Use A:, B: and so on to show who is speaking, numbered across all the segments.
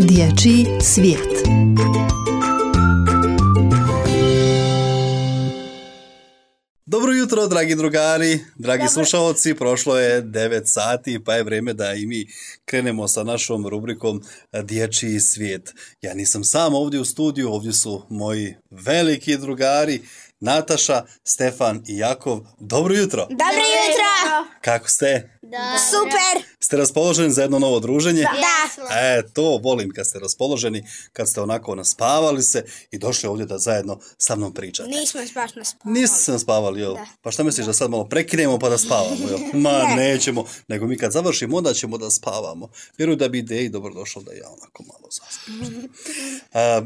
A: Dječji svijet.
B: Dobro jutro, dragi drugari, dragi slušalci, prošlo je 9 sati pa je vrijeme da i mi krenemo sa našom rubrikom Dječji svijet. Ja nisam sam ovdje u studiju, ovdje su moji veliki drugari Nataša, Stefan i Jakov. Dobro jutro!
C: Dobro jutro!
B: Kako ste?
C: Da. Super!
B: Ste raspoloženi za jedno novo druženje?
C: Da.
B: To volim kad ste raspoloženi, kad ste onako naspavali se i došli ovdje da zajedno sa mnom pričate.
C: Nismo baš naspavali.
B: Nisam spavali, jel?
C: Da.
B: Pa šta misliš da sad malo prekinemo pa da spavamo, jel? Ma nećemo, nego mi kad završimo onda ćemo da spavamo. Vjerujem da bi ideji dobro došlo da ja onako malo zaspim.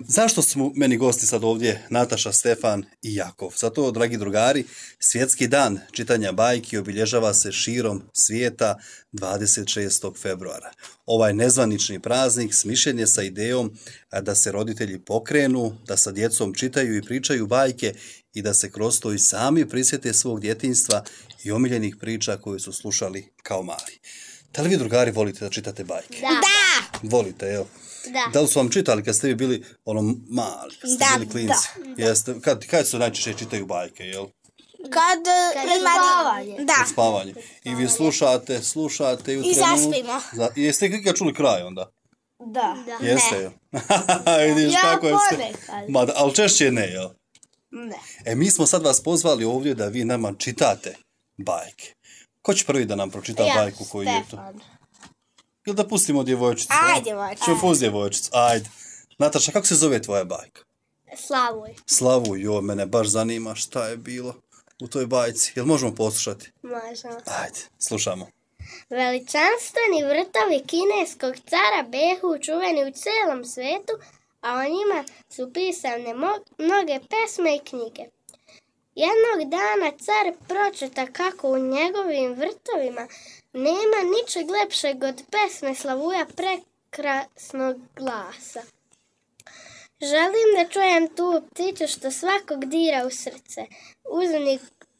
B: Zašto su meni gosti sad ovdje Nataša, Stefan i Jakov? Zato, dragi drugari, svjetski dan čitanja bajki obilježava se širom svijeta 26. februara. Ovaj nezvanični praznik smišljen je sa idejom da se roditelji pokrenu, da sa djecom čitaju i pričaju bajke i da se kroz to i sami prisjete svog djetinjstva i omiljenih priča koje su slušali kao mali. Da li vi, drugari, volite da čitate bajke?
C: Da.
B: Volite, jel? Da li su vam čitali kad ste vi bili mali, kad ste bili klinci? Jeste, kad se najčešće čitaju bajke, jel?
C: Kad spavanje. Da.
B: Kad spavanje. I vi slušate i u
C: I zaspimo.
B: Jeste ikad čuli kraj onda?
C: Da.
B: Jeste, jel? Vidiš kako je sve.
C: ponekad.
B: Ali češće ne, jel?
C: Ne.
B: Mi smo sad vas pozvali ovdje da vi nama čitate bajke. Ko će prvi da nam pročita bajku koju je to?
C: Stefan.
B: Ili da pustimo djevojčicu?
C: Ajde, djevojčicu.
B: Ćemo pustiti djevojčicu, ajde. Nataša, kako se zove tvoja bajka?
C: Slavuj.
B: Jo, mene baš zanima šta je bilo u toj bajci. Jel možemo poslušati?
C: Možemo.
B: Ajde, slušamo.
D: Veličanstveni vrtovi kineskog cara behu čuveni u cijelom svijetu, a o njima su pisane mnoge pesme i knjige. Jednog dana car pročita kako u njegovim vrtovima nema ničeg lepšeg od pesme Slavuja prekrasnog glasa. Želim da čujem tu pticu što svakog dira u srce.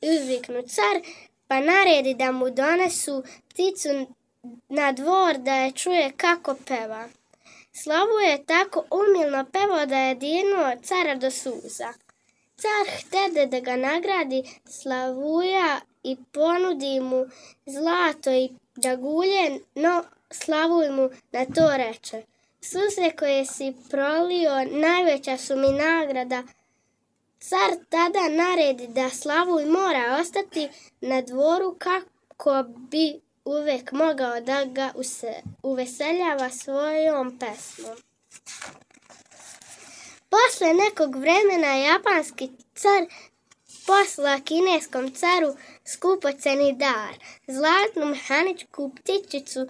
D: Uzviknu car, pa naredi da mu donesu pticu na dvor da je čuje kako peva. Slavu je tako umilno pevao da je dirnuo cara do suza. Car htede da ga nagradi Slavuja i ponudi mu zlato i dragulje, no Slavuj mu na to reče: suze koje si prolio najveća su mi nagrada. Car tada naredi da Slavuj mora ostati na dvoru kako bi uvek mogao da ga uveseljava svojom pesmom. Posle nekog vremena japanski car posla kineskom caru skupoceni dar, zlatnu mehaničku ptičicu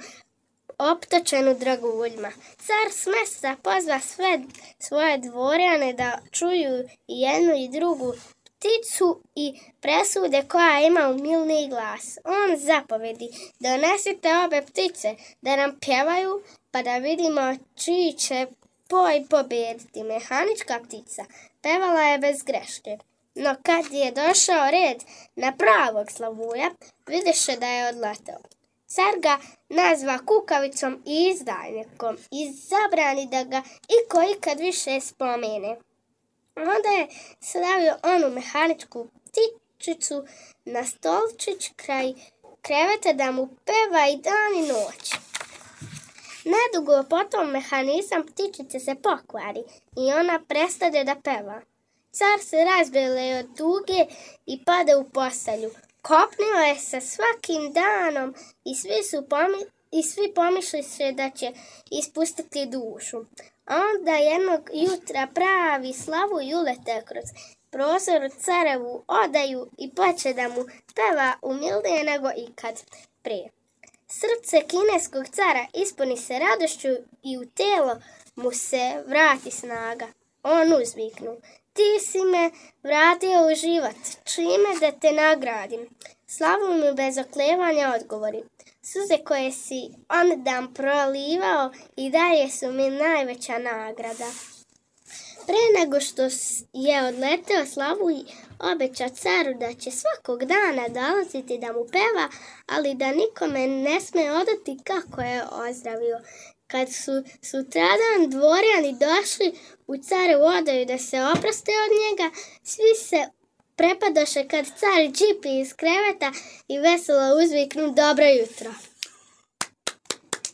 D: optočenu draguljima. Car s mjesta pozva sve svoje dvorjane da čuju i jednu i drugu pticu i presude koja ima umilniji glas. On zapovedi: donesite obe ptice da nam pjevaju, pa da vidimo čiji će poj pobjediti. Mehanička ptica pevala je bez greške, no kad je došao red na pravog Slavuja, vidiše da je odleteo. Car ga nazva kukavicom i izdajnikom i zabrani da ga iko ikad više spomene. Onda je stavio onu mehaničku ptičicu na stolčić kraj kreveta da mu peva i dan i noć. Nedugo potom mehanizam ptičice se pokvari i ona prestade da peva. Car se razbele od tuge i pada u postelju. Kopnila je sa svakim danom i svi pomišljaše da će ispustiti dušu. Onda jednog jutra pravi Slavuj ulete kroz prozor u carevu odaju i poče da mu peva umilnije nego ikad prije. Srce kineskog cara ispuni se radošću i u tijelo mu se vrati snaga. On uzviknu: ti si me vratio u život, čime da te nagradim? Slavuj mu bez oklevanja odgovori: suze koje si on dan prolivao i dalje su mi najveća nagrada. Pre nego što je odleteo, Slavuj obeća caru da će svakog dana dolaziti da mu peva, ali da nikome ne sme odati kako je ozdravio. kad su sutradan dvorjani došli u carevu odaju da se oproste od njega, svi se prepadoše kad car džipi iz kreveta i veselo uzviknu dobro jutro.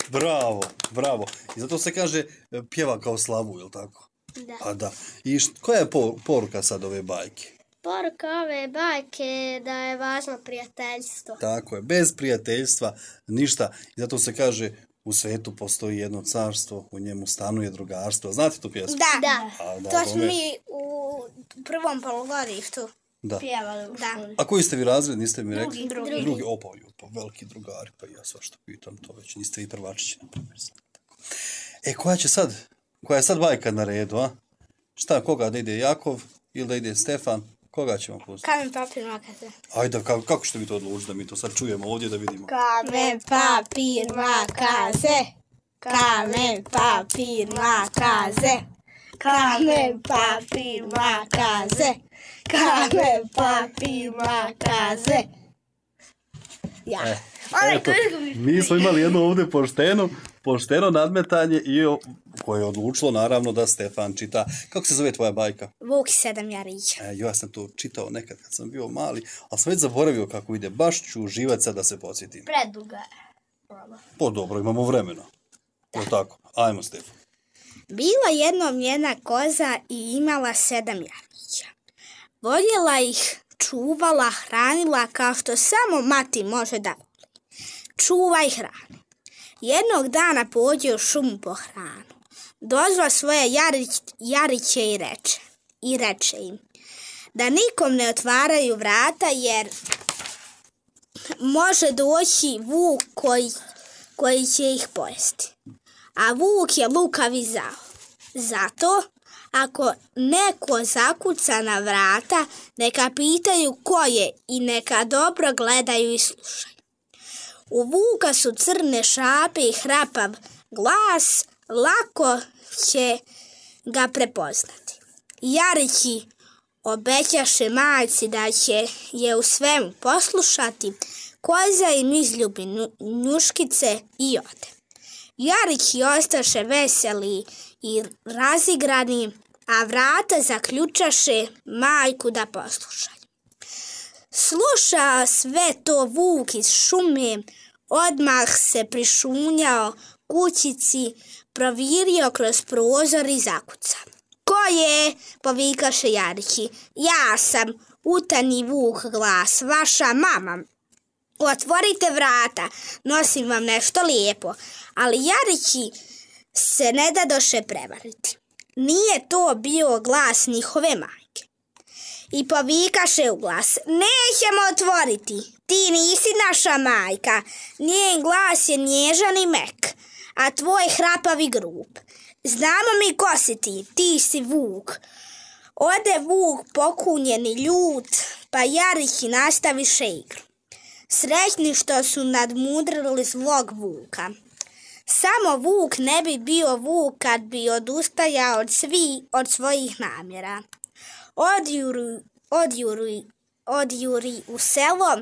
B: Bravo, bravo. I zato se kaže pjeva kao slavu, jel tako?
D: Da.
B: A da. I koja je poruka sad ove bajke?
D: Poruka ove bajke je da je važno prijateljstvo.
B: Tako je, bez prijateljstva ništa. I zato se kaže u svetu postoji jedno carstvo, u njemu stanuje drugarstvo. Znate tu pjesmu?
C: Da.
B: Da,
C: To smo mi u prvom polugodištu
B: da.
C: pjevali u školi.
B: A koji ste vi razred, niste mi rekli?
C: Drugi.
B: Opa, veliki drugari, pa ja svašta pitam to već. Niste vi prvačići, na primjer. Koja je sad bajka na redu, a? Šta, koga da ide Jakov ili da ide Stefan? Koga ćemo pustiti?
C: Kamen, papir, makaze.
B: Ajde, kako ćete vi to odlučiti da mi to sad čujemo ovdje da vidimo?
C: Kamen, papir, makaze. Kamen, papir, makaze. Kamen, papir, makaze. Kamen, papir, makaze. Ja.
B: Eto, mi smo imali jedno ovdje pošteno nadmetanje i koje je odlučilo naravno da Stefan čita. Kako se zove tvoja bajka?
C: Vuk i 7 jarića.
B: Ja sam to čitao nekad kad sam bio mali, ali sam već zaboravio kako ide. Baš ću uživati sad da se podsjetim.
C: Preduga je.
B: Po dobro, imamo vremena. Je tako? Ajmo, Stefan.
C: Bila jednom jedna koza i imala 7 jarića. Voljela ih, čuvala, hranila kao što samo mati može da voli. Čuvaj hranu. Jednog dana pođe u šumu po hranu. Dozva svoje jariće i reče im da nikom ne otvaraju vrata jer može doći vuk koji će ih pojesti. A vuk je lukav i zao. Zato, ako neko zakuca na vrata, neka pitaju ko je i neka dobro gledaju i slušaju. U vuka su crne šape i hrapav glas, lako će ga prepoznati. Jarići obećaše majci da će je u svemu poslušati, koza im izljubi njuškice i ode. Jarići ostaše veseli i razigrani, a vrata zaključaše majku da poslušaju. Sluša sve to vuk iz šume, odmah se prišunjao kućici, provirio kroz prozor i zakucao. Ko je? Povikaše Jarići. Ja sam, utani vuk glas, vaša mama. Otvorite vrata, nosim vam nešto lijepo. Ali Jarići se ne dadoše prevariti. Nije to bio glas njihove majke. I povikaše u glas, nećemo otvoriti, ti nisi naša majka, njen glas je nježan i mek, a tvoj hrapav i grub. Znamo mi ko si ti si vuk. Ode vuk pokunjen i ljut, pa Jarići nastaviše igru. Srećni što su nadmudrili zlog vuka. Samo vuk ne bi bio vuk kad bi odustajao od svojih namjera. Odjuri u selo,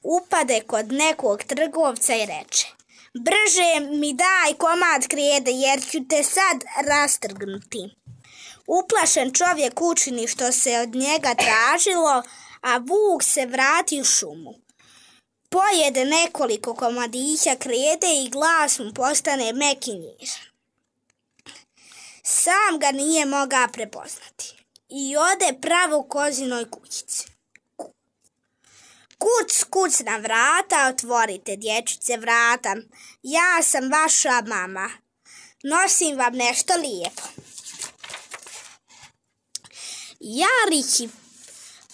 C: upade kod nekog trgovca i reče: brže mi daj komad krijede jer ću te sad rastrgnuti. Uplašen čovjek učini što se od njega tražilo, a vuk se vrati u šumu. Pojede nekoliko komadića krijede i glas mu postane mek i nježan. Sam ga nije mogao prepoznati i ode pravo kozinoj kućici. Kuc, kuc na vrata, otvorite, dječice, vrata. Ja sam vaša mama. Nosim vam nešto lijepo. Jarići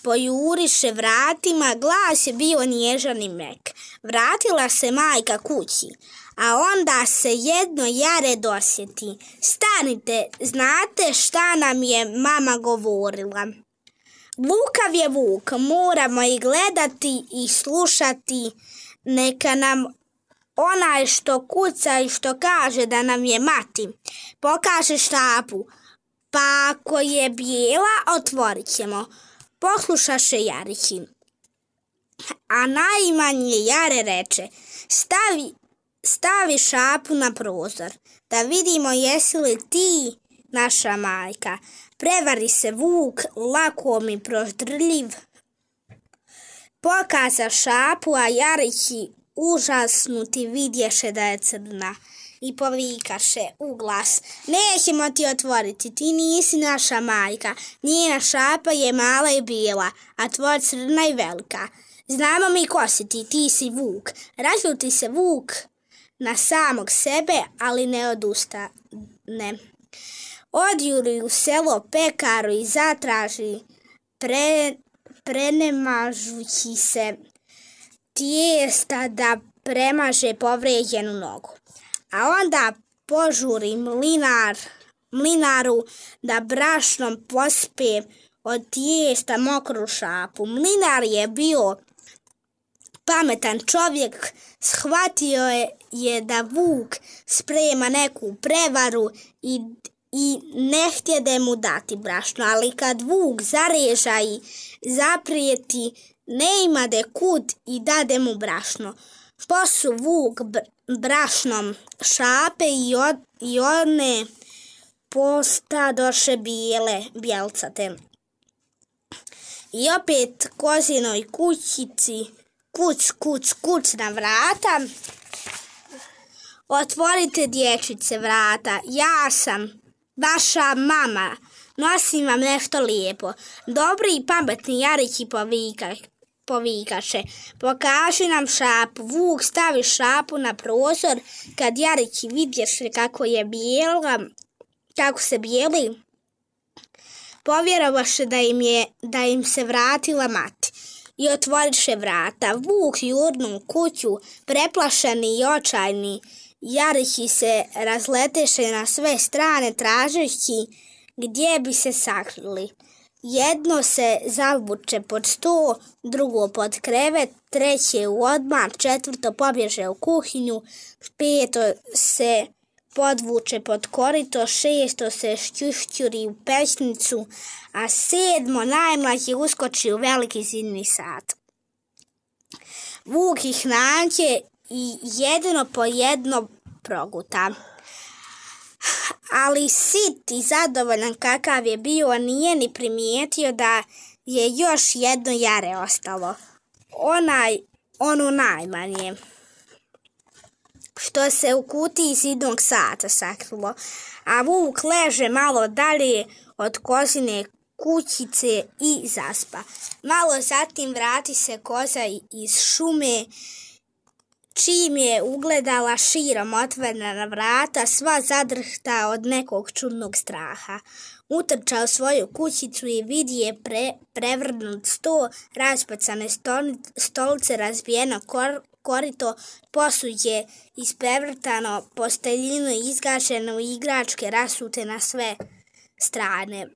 C: pojuriše vratima, glas je bio nježan i mek. Vratila se majka kući, a onda se jedno jare dosjeti. Stanite, znate šta nam je mama govorila? Lukav je vuk, moramo i gledati i slušati, neka nam onaj što kuca i što kaže da nam je mati pokaže štapu, pa ako je bijela otvorit ćemo. Poslušaše Jarići, a najmanje jare reče: stavi šapu na prozor, da vidimo jesi li ti naša majka. Prevari se vuk, lakom i proždrljiv. Pokaza šapu, a jarići užasnuti vidješe da je crna. I povikaše u glas: nećemo ti otvoriti, ti nisi naša majka. Njena šapa je mala i bijela, a tvoja crna i velika. Znamo mi ko si ti, ti si vuk. Razljuti se vuk na samog sebe, ali ne odustane. Odjuri u selo pekaru i zatraži prenemažući se tijesta da premaže povrijeđenu nogu. A onda požuri mlinaru da brašnom pospe od tijesta mokru šapu. Mlinar je bio pametan čovjek, shvatio je da vuk sprema neku prevaru i ne htjede mu dati brašno, ali kad vuk zareža i zaprijeti, ne imade kud i dade mu brašno. Posu vuk brašnom šape i one postadoše bjelcate. I opet kozinoj kućici kuc na vrata. Otvorite, dječice, vrata, ja sam vaša mama, nosim vam nešto lijepo. Dobri i pametni jarići povikaše: pokaži nam šapu. Vuk stavi šapu na prozor. Kad jarići vidješe kako se bijeli, povjerovaše da im se vratila mati i otvoriše vrata. Vuk jurnu u kuću, preplašeni i očajni. Jarići se razleteše na sve strane tražeći gdje bi se sakrili. Jedno se zavuče pod sto, drugo pod krevet, treće u odmar, četvrto pobježe u kuhinju, peto se podvuče pod korito, šesto se šćušćuri u pećnicu, a sedmo najmlađi uskoči u veliki zidni sat. Vuk ih nađe i jedno po jedno proguta. Ali sit i zadovoljan kakav je bio, nije ni primijetio da je još jedno jare ostalo. Ono najmanje, što se u kutiji zidnog sata sakrilo, a vuk leže malo dalje od kozine kućice i zaspa. Malo zatim vrati se koza iz šume, čim je ugledala širom otvorena vrata, sva zadrhta od nekog čudnog straha. Utrča u svoju kućicu i vidi je prevrnut sto, raspacane stolice, razbijeno korito, posuđe isprevrtano, posteljinu izgašenu i igračke rasute na sve strane.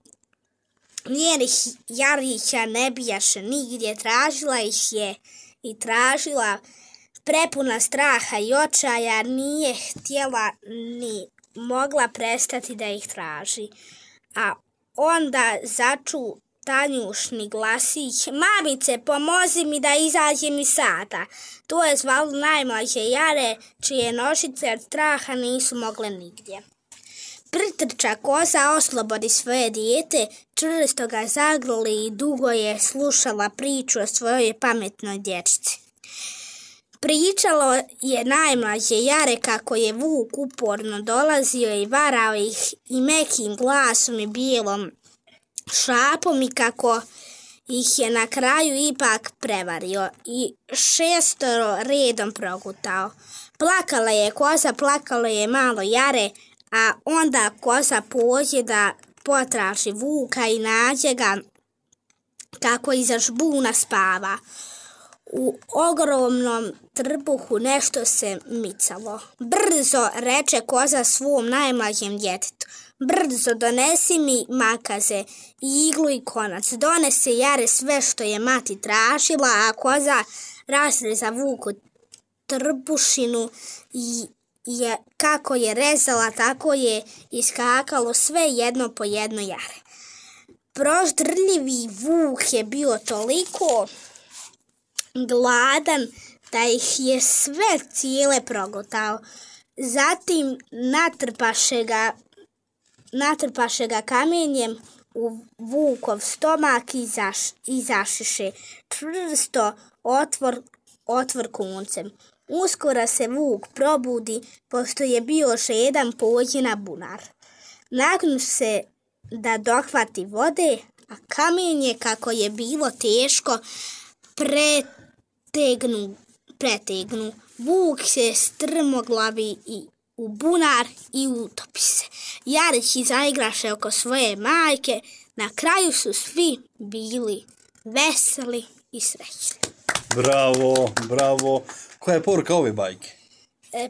C: Njenih jarića ne bijaše nigdje, tražila ih je i tražila, prepuna straha i očaja, nije htjela ni mogla prestati da ih traži. A onda začu tanjušni glasić: mamice, pomozi mi da izađem iz sata. To je zvalo najmlađe jare, čije nošice od straha nisu mogle nigdje. Pritrča koza, oslobodi svoje dijete, čvrsto ga zagrli i dugo je slušala priču o svojoj pametnoj dječici. Pričalo je najmlađe jare kako je vuk uporno dolazio i varao ih i mekim glasom i bijelom šapom i kako ih je na kraju ipak prevario i 6 redom progutao. Plakala je koza, plakalo je malo jare, a onda koza pođe da potraži vuka i nađe ga kako iza žbuna spava. U ogromnom trbuhu nešto se micalo. Brzo, reče koza svom najmlađem djetetu, brzo donesi mi makaze, iglu i konac. Donese jare sve što je mati tražila, a koza razreza vuku trbušinu i kako je rezala, tako je iskakalo sve jedno po jedno jare. Proždrljivi vuk je bio toliko gladan da ih je sve cijele progutao. Zatim natrpaše ga kamenjem u vukov stomak i zašiše čvrsto otvor koncem. Uskoro se vuk probudi, pošto je bio še jedan pođena bunar. Nagnu se da dohvati vode, a kamenje, kako je bilo teško, pretegnu. Vuk se strmoglavi i u bunar i utopi se. Jarići zaigraše oko svoje majke. Na kraju su svi bili veseli i srećni.
B: Bravo. Koja je poruka ove bajke?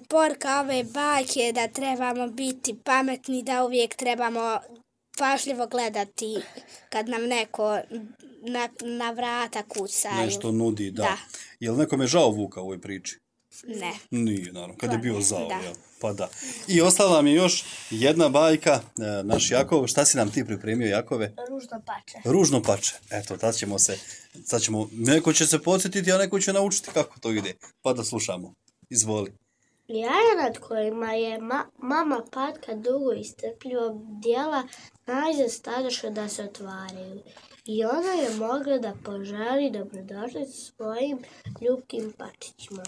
C: Poruka ove bajke je da trebamo biti pametni, da uvijek trebamo pažljivo gledati kad nam neko na vrata kuca.
B: Nešto nudi, da. Je li nekome žao vuka u ovoj priči?
C: Ne.
B: Nije, naravno, kad je bio zao. Jel? Pa da. I ostala nam je još jedna bajka, naš Jakov. Šta si nam ti pripremio, Jakove? Ružno pače. Eto, sad ćemo, neko će se podsjetiti, a neko će naučiti kako to ide. Pa da slušamo. Izvoli.
D: Jaja nad kojima je mama Patka dugo i strpljivo bdjela, najzad stadoše da se otvaraju. I ona je mogla da poželi dobrodošlicu svojim ljubkim pačićima.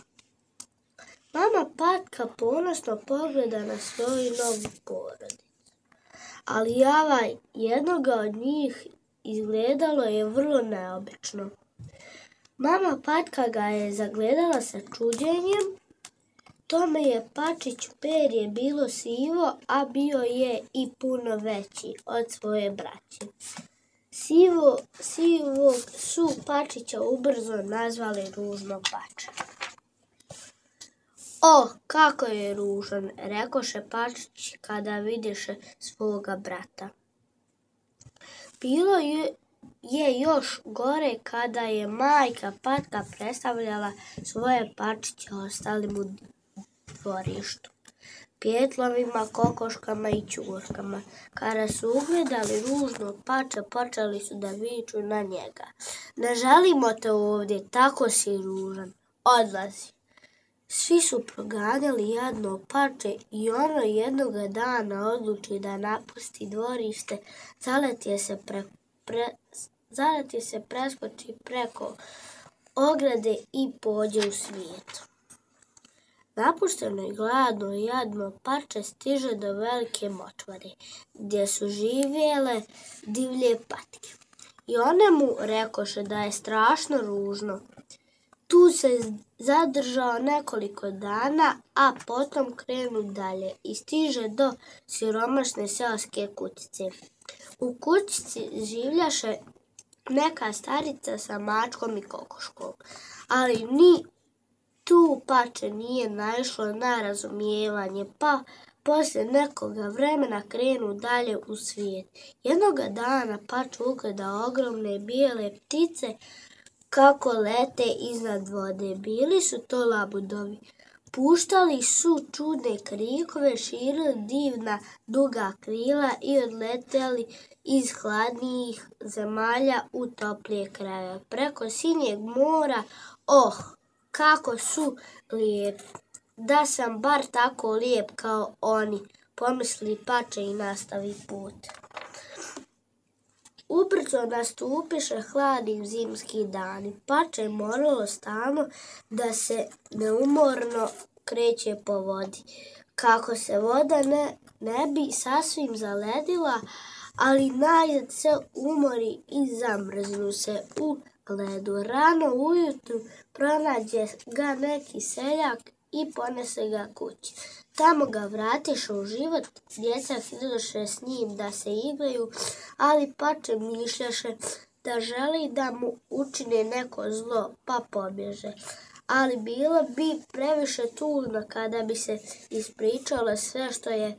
D: Mama Patka ponosno pogleda na svoju novu porodicu. Ali jednoga od njih izgledalo je vrlo neobično. Mama Patka ga je zagledala sa čuđenjem. Tome je pačić perje bilo sivo, a bio je i puno veći od svoje braće. Sivog su pačića ubrzo nazvali ružno pače. O, kako je ružan, rekoše pačić kada vidiše svoga brata. Bilo je još gore kada je majka Patka predstavljala svoje pačiće ostalim u dvorištu, pjetlovima, kokoškama i ćurkama. Kada su ugledali ružno pače, počeli su da viču na njega. Ne želimo te ovdje, tako si ružan, odlazi. Svi su proganjali jadno pače i ono jednoga dana odluči da napusti dvorište, zaleti se preskoči preko ograde i pođe u svijet. Napušteno i gladno i jadno pače stiže do velike močvare, gdje su živjele divlje patke. I one mu rekoše da je strašno ružno. Tu se zadržao nekoliko dana, a potom krenu dalje i stiže do siromašne seoske kućice. U kućici življaše neka starica sa mačkom i kokoškom, ali ni tu pače nije naišlo na razumijevanje, pa poslije nekoga vremena krenu dalje u svijet. Jednoga dana pače ugleda ogromne bijele ptice kako lete iznad vode. Bili su to labudovi. Puštali su čudne krikove, širili divna duga krila i odleteli iz hladnijih zemalja u toplije krajeve. Preko sinjeg mora, kako su lijepi. Da sam bar tako lijep kao oni, pomisli pače i nastavi put. Ubrzo nastupiše hladni zimski dani. Pače moralo stalno da se neumorno kreće po vodi. Kako se voda ne bi sasvim zaledila, ali najzad se umori i zamrznu se u ledu. Rano ujutru pronađe ga neki seljak i ponese ga kući. Tamo ga vratiše u život, djeca htidoše s njim da se igraju, ali pače mišljaše da želi da mu učine neko zlo, pa pobježe. Ali bilo bi previše tužno kada bi se ispričalo sve što je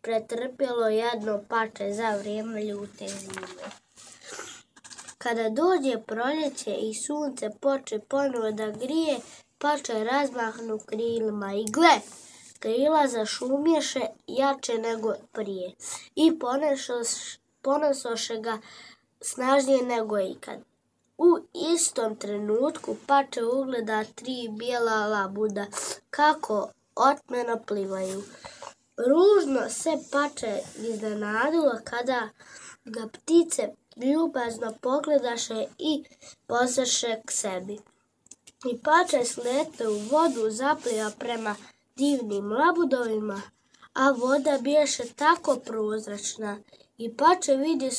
D: pretrpjelo jadno pače za vrijeme ljute zime. Kada dođe proljeće i sunce poče ponovo da grije, pače razmahnu krilima i gle, krila zašumješe jače nego prije i ponesoše ga snažnije nego ikad. U istom trenutku pače ugleda 3 bijela labuda kako otmeno plivaju. Ružno se pače iznenadilo kada ga ptice ljubazno pogledaše i pozvaše k sebi. I pače sletne u vodu, zapliva prema divnim labudovima, a voda biješe tako prozračna i pače vidi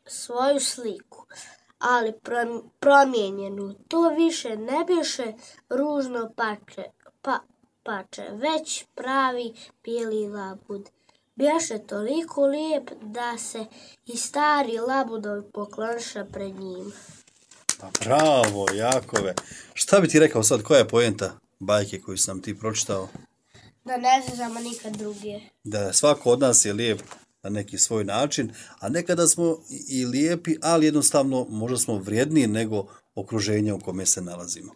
D: svoju sliku, ali promijenjenu. To više ne biješe ružno pače, već pravi bijeli labud. Biješe toliko lijep da se i stari labudovi pokloniše pred njim.
B: Pa bravo, Jakove. Šta bi ti rekao sad, koja je poenta bajke koju sam ti pročitao?
D: Da ne znamo nikad druge.
B: Da svako od nas je lijep na neki svoj način, a nekada smo i lijepi, ali jednostavno možda smo vrijedniji nego okruženje u kome se nalazimo.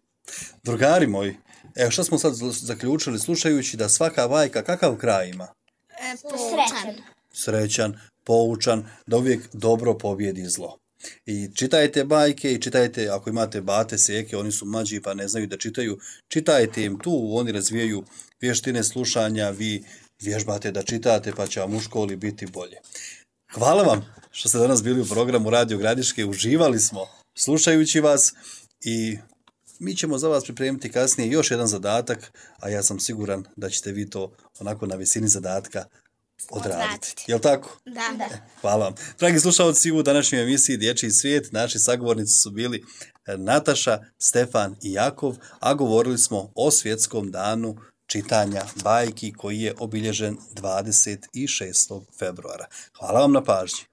B: Drugari moji, evo šta smo sad zaključili slušajući da svaka bajka kakav kraj ima?
C: Srećan.
B: Srećan, poučan, da uvijek dobro pobjedi zlo. I čitajte bajke i čitajte, ako imate bate, seke, oni su mlađi pa ne znaju da čitaju, čitajte im tu, oni razvijaju vještine slušanja, vi vježbate da čitate pa će vam u školi biti bolje. Hvala vam što ste danas bili u programu Radio Gradiške, uživali smo slušajući vas i mi ćemo za vas pripremiti kasnije još jedan zadatak, a ja sam siguran da ćete vi to onako na visini zadatka odraditi. Jel' tako?
C: Da.
B: Hvala vam. Dragi slušalci, u današnjoj emisiji Dječji svijet naši sagovornici su bili Nataša, Stefan i Jakov, a govorili smo o svjetskom danu čitanja bajki koji je obilježen 26. februara. Hvala vam na pažnji.